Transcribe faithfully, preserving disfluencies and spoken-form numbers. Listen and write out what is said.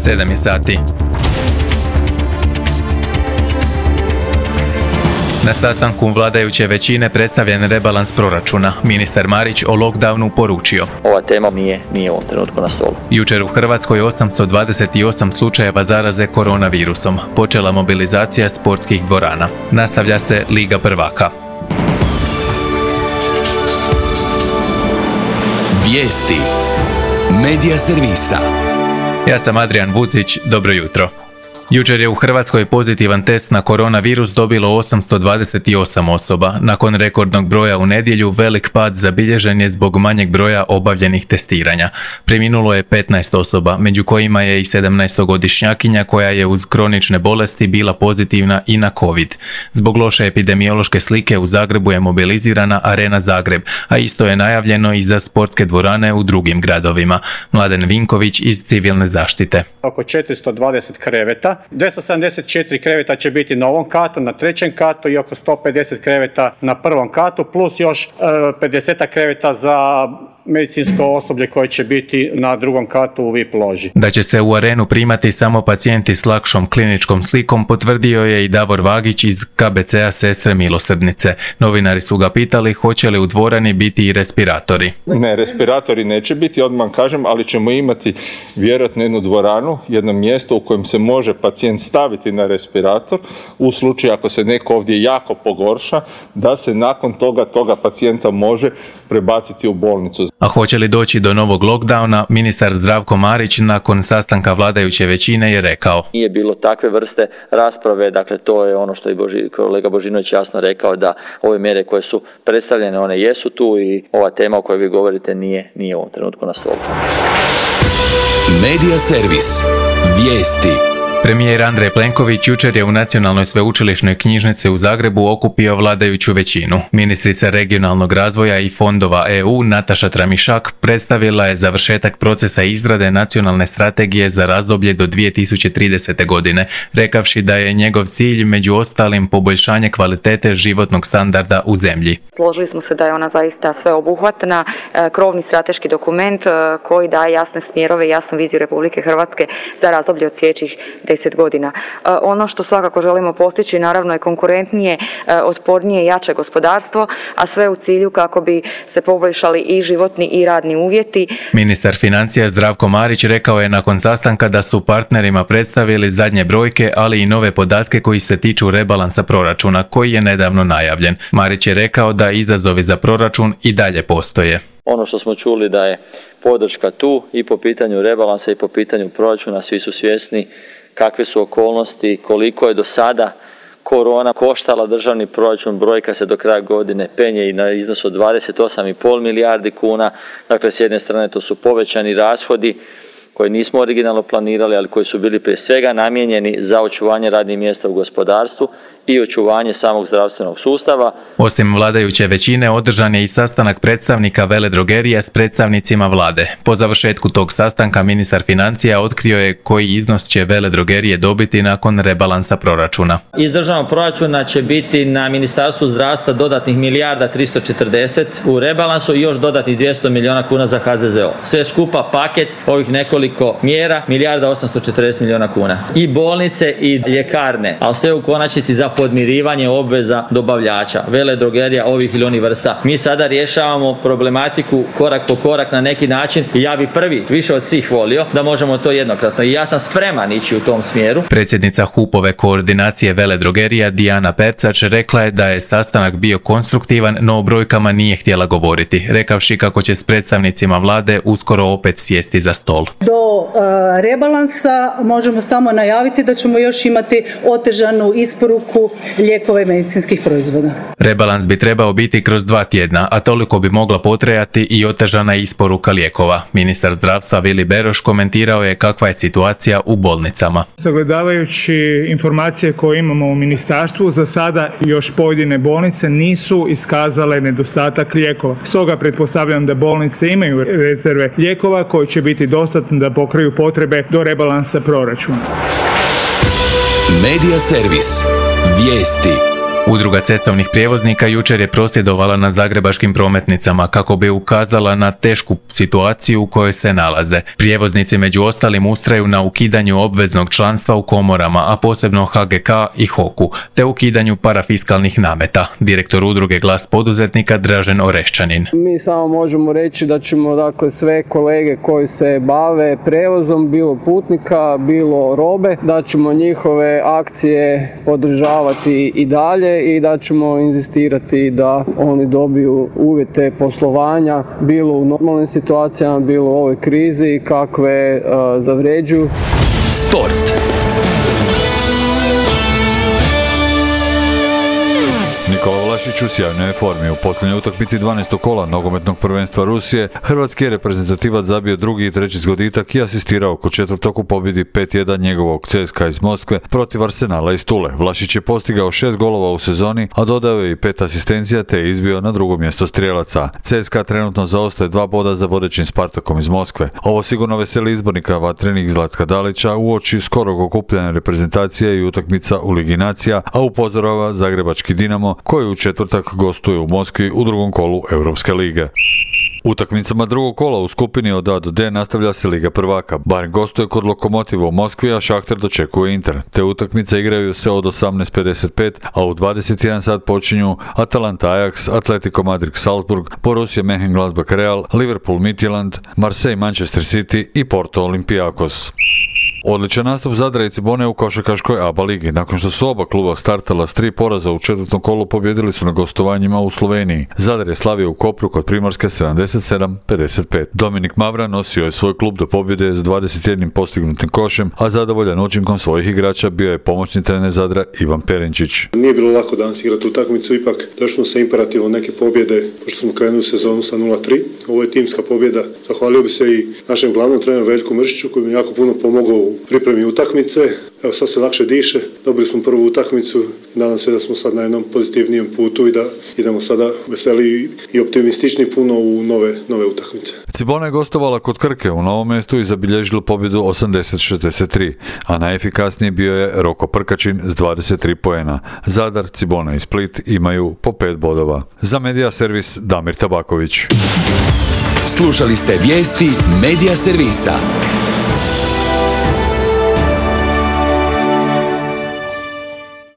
sedam je sati. Na sastanku vladajuće većine predstavljen rebalans proračuna. Ministar Marić o lockdownu poručio: Ova tema nije, nije u ovom trenutku na stolu. Jučer u Hrvatskoj osamsto dvadeset osam slučajeva zaraze koronavirusom. Počela mobilizacija sportskih dvorana. Nastavlja se Liga prvaka. Vijesti Medija servisa. Ja sam Adrian Vucić, dobro jutro. Jučer je u Hrvatskoj pozitivan test na koronavirus dobilo osamsto dvadeset osam osoba. Nakon rekordnog broja u nedjelju, velik pad zabilježen je zbog manjeg broja obavljenih testiranja. Preminulo je petnaest osoba, među kojima je i sedamnaestogodišnjakinja koja je uz kronične bolesti bila pozitivna i na COVID. Zbog loše epidemiološke slike u Zagrebu je mobilizirana Arena Zagreb, a isto je najavljeno i za sportske dvorane u drugim gradovima. Mladen Vinković iz Civilne zaštite. Oko četiristo dvadeset kreveta. dvjesto sedamdeset četiri kreveta će biti na ovom katu, na trećem katu i oko sto pedeset kreveta na prvom katu, plus još e, pedeset kreveta za medicinsko osoblje koje će biti na drugom katu u V I P loži. Da će se u arenu primati samo pacijenti s lakšom kliničkom slikom potvrdio je i Davor Vagić iz K B C-a Sestre milosrdnice. Novinari su ga pitali hoće li u dvorani biti i respiratori. Ne, respiratori neće biti, odmah kažem, ali ćemo imati vjerojatno jednu dvoranu, jedno mjesto u kojem se može pacijent staviti na respirator u slučaju ako se neko ovdje jako pogorša, da se nakon toga toga pacijenta može prebaciti u bolnicu. A hoće li doći do novog lockdowna, ministar Zdravko Marić nakon sastanka vladajuće većine je rekao: Nije bilo takve vrste rasprave, dakle to je ono što je Boži, kolega Božinović jasno rekao, da ove mjere koje su predstavljene, one jesu tu i ova tema o kojoj vi govorite nije, nije u ovom trenutku na stolu. Medija servis. Vijesti. Premijer Andrej Plenković jučer je u Nacionalnoj sveučilišnoj knjižnici u Zagrebu okupio vladajuću većinu. Ministrica regionalnog razvoja i fondova E U Nataša Tramišak predstavila je završetak procesa izrade nacionalne strategije za razdoblje do dvije tisuće tridesete. godine, rekavši da je njegov cilj među ostalim poboljšanje kvalitete životnog standarda u zemlji. Složili smo se da je ona zaista sveobuhvatna, krovni strateški dokument koji daje jasne smjerove i jasnu viziju Republike Hrvatske za razdoblje od sljedećih deset godina. Ono što svakako želimo postići naravno je konkurentnije, otpornije i jače gospodarstvo, a sve u cilju kako bi se poboljšali i životni i radni uvjeti. Ministar financija Zdravko Marić rekao je nakon sastanka da su partnerima predstavili zadnje brojke, ali i nove podatke koji se tiču rebalansa proračuna koji je nedavno najavljen. Marić je rekao da izazovi za proračun i dalje postoje. Ono što smo čuli da je podrška tu i po pitanju rebalansa i po pitanju proračuna, svi su svjesni kakve su okolnosti, koliko je do sada korona koštala državni proračun, brojka se do kraja godine penje i na iznos od dvadeset osam zarez pet milijardi kuna. Dakle, s jedne strane to su povećani rashodi koje nismo originalno planirali, ali koji su bili prije svega namijenjeni za očuvanje radnih mjesta u gospodarstvu i očuvanje samog zdravstvenog sustava. Osim vladajuće većine, održan je i sastanak predstavnika veledrogerija s predstavnicima vlade. Po završetku tog sastanka ministar financija otkrio je koji iznos će veledrogerije dobiti nakon rebalansa proračuna. Iz državnog proračuna će biti na Ministarstvu zdravstva dodatnih milijarda tristo četrdeset u rebalansu i još dodatnih dvjesto milijuna kuna za H Z Z O. Sve skupa paket ovih nekoliko mjera, milijarda osamsto četrdeset milijuna kuna. I bolnice i ljekarne, ali sve u konačnici za podmirivanje obveza dobavljača, veledrogerija ovih ili onih vrsta. Mi sada rješavamo problematiku korak po korak na neki način i ja bi prvi, više od svih volio, da možemo to jednokratno. I ja sam spreman ići u tom smjeru. Predsjednica H U P-ove koordinacije veledrogerija Dijana Percač rekla je da je sastanak bio konstruktivan, no o brojkama nije htjela govoriti, rekavši kako će s predstavnicima vlade uskoro opet sjesti za stol. Do uh, rebalansa možemo samo najaviti da ćemo još imati otežanu isporuku lijekova i medicinskih proizvoda. Rebalans bi trebao biti kroz dva tjedna, a toliko bi mogla potrajati i otežana isporuka lijekova. Ministar zdravstva Vili Beroš komentirao je kakva je situacija u bolnicama. Sagledavajući informacije koje imamo u ministarstvu, za sada još pojedine bolnice nisu iskazale nedostatak lijekova. Stoga pretpostavljam da bolnice imaju rezerve lijekova koji će biti dostatni da pokriju potrebe do rebalansa proračuna. Medija servis. Vijesti. Udruga cestovnih prijevoznika jučer je prosvjedovala na zagrebačkim prometnicama kako bi ukazala na tešku situaciju u kojoj se nalaze. Prijevoznici među ostalim ustraju na ukidanju obveznog članstva u komorama, a posebno H G K i H O K-u, te ukidanju parafiskalnih nameta. Direktor udruge Glas poduzetnika Dražen Oreščanin. Mi samo možemo reći da ćemo dakle sve kolege koji se bave prevozom, bilo putnika, bilo robe, da ćemo njihove akcije podržavati i dalje i da ćemo inzistirati da oni dobiju uvjete poslovanja, bilo u normalnim situacijama, bilo u ovoj krizi, kakve uh, zavređuju. Sport. Nikola Vlašić u sjajnoj je formi. U posljednjoj utakmici dvanaestog kola nogometnog prvenstva Rusije hrvatski je reprezentativac zabio drugi i treći zgoditak i asistirao kod četvrtog u pobjedi pet jedan njegovog C S K A iz Moskve protiv Arsenala iz Tule. Vlašić je postigao šest golova u sezoni, a dodao je i pet asistencija te je izbio na drugo mjesto strijelaca. C S K A trenutno zaostaje dva boda za vodećim Spartakom iz Moskve. Ovo sigurno veseli izbornika vatrenih Zlatka Dalića uoči skorog okupljanja reprezentacije i utakmica u Ligi nacija, a upozorava zagrebački Dinamo koji u četvrtak gostuje u Moskvi u drugom kolu Europske lige. Utakmicama drugog kola u skupini od A do D nastavlja se Liga prvaka. Bayern gostuje kod Lokomotiva u Moskvi, a Šahter dočekuje Inter. Te utakmice igraju se od osamnaest pedeset pet, a u dvadeset jedan sat počinju Atalanta Ajax, Atletico Madrid Salzburg, Borussia Mönchengladbach Real, Liverpool Midtjylland, Marseille Manchester City i Porto Olympiakos. Odličan nastup Zadra i Cibone u košarkaškoj A B A ligi. Nakon što su oba kluba startala s tri poraza u četvrtom kolu, pobjedili su na gostovanjima u Sloveniji. Zadar je slavio u Kopru kod Primorske sedamdeset sedam pedeset pet. Dominik Mavra nosio je svoj klub do pobjede s dvadeset jednim postignutim košem, a zadovoljan učinkom svojih igrača bio je pomoćni trener Zadra Ivan Perenčić. Nije bilo lako danas igrati utakmicu, ipak došli smo sa imperativom neke pobjede, pošto smo krenuli sezonu sa nula tri. Ovo je timska pobjeda. Zahvalio bi se i našem glavnom treneru Veljku Mršiću koji mi jako puno pomogao u pripremi utakmice. Evo sad se lakše diše, dobili smo prvu utakmicu, nadam se da smo sad na jednom pozitivnijem putu i da idemo sada veseli i optimistični puno u nove, nove utakmice. Cibona je gostovala kod Krke u Novom Mestu i zabilježila pobjedu osamdeset šezdeset tri, a najefikasniji bio je Roko Prkačin s dvadeset tri poena. Zadar, Cibona i Split imaju po pet bodova. Za Medija servis Damir Tabaković. Slušali ste vijesti Medija servisa.